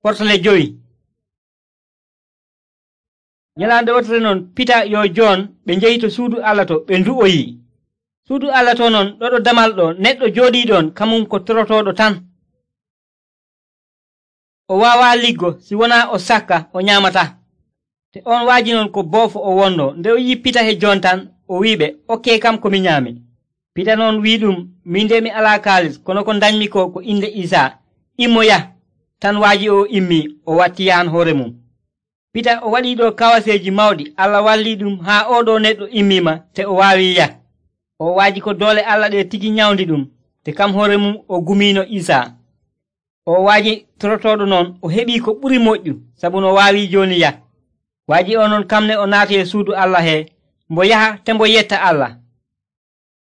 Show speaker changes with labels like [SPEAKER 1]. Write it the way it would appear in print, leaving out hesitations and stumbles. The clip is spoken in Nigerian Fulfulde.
[SPEAKER 1] Portale 5. Nyalande wotere non Pita yo Jon ɓe njehi to suudu Allah to ɓe ndu'oyi. Suudu Allah to non ɗoɗo damal ɗo neɗɗo jooɗiiɗon kamum ko torotooɗo tan. O waawaa liggo si wonaa o sakka o nyaamata. Te on waaji non ko boofo o wonno. Nde o yi'i Pita he Jon tan o wi'iɓe, okkee kam ko mi nyaami. Pita non wi'i min nde mi alaa kaalis, kono ko ndañmi ko inde Isaa. Immo yah. Tan waaji o immii o watti yahan hoore mum. Pita o waɗii ɗo kawaseeji mawɗi. Allah wallii haa oɗo neɗɗo immiima te o waawii yah. O waaji ko doole Allah ɗe tigi nyawndi te kam hoore mum o gumiino Isaa. O waaji torotooɗo non o heɓii ko ɓuri moƴƴu sabu no waawii jooni yah. Waaji o non kamne o naati e suudu Allah hee mbo yaha te mbo yetta Allah.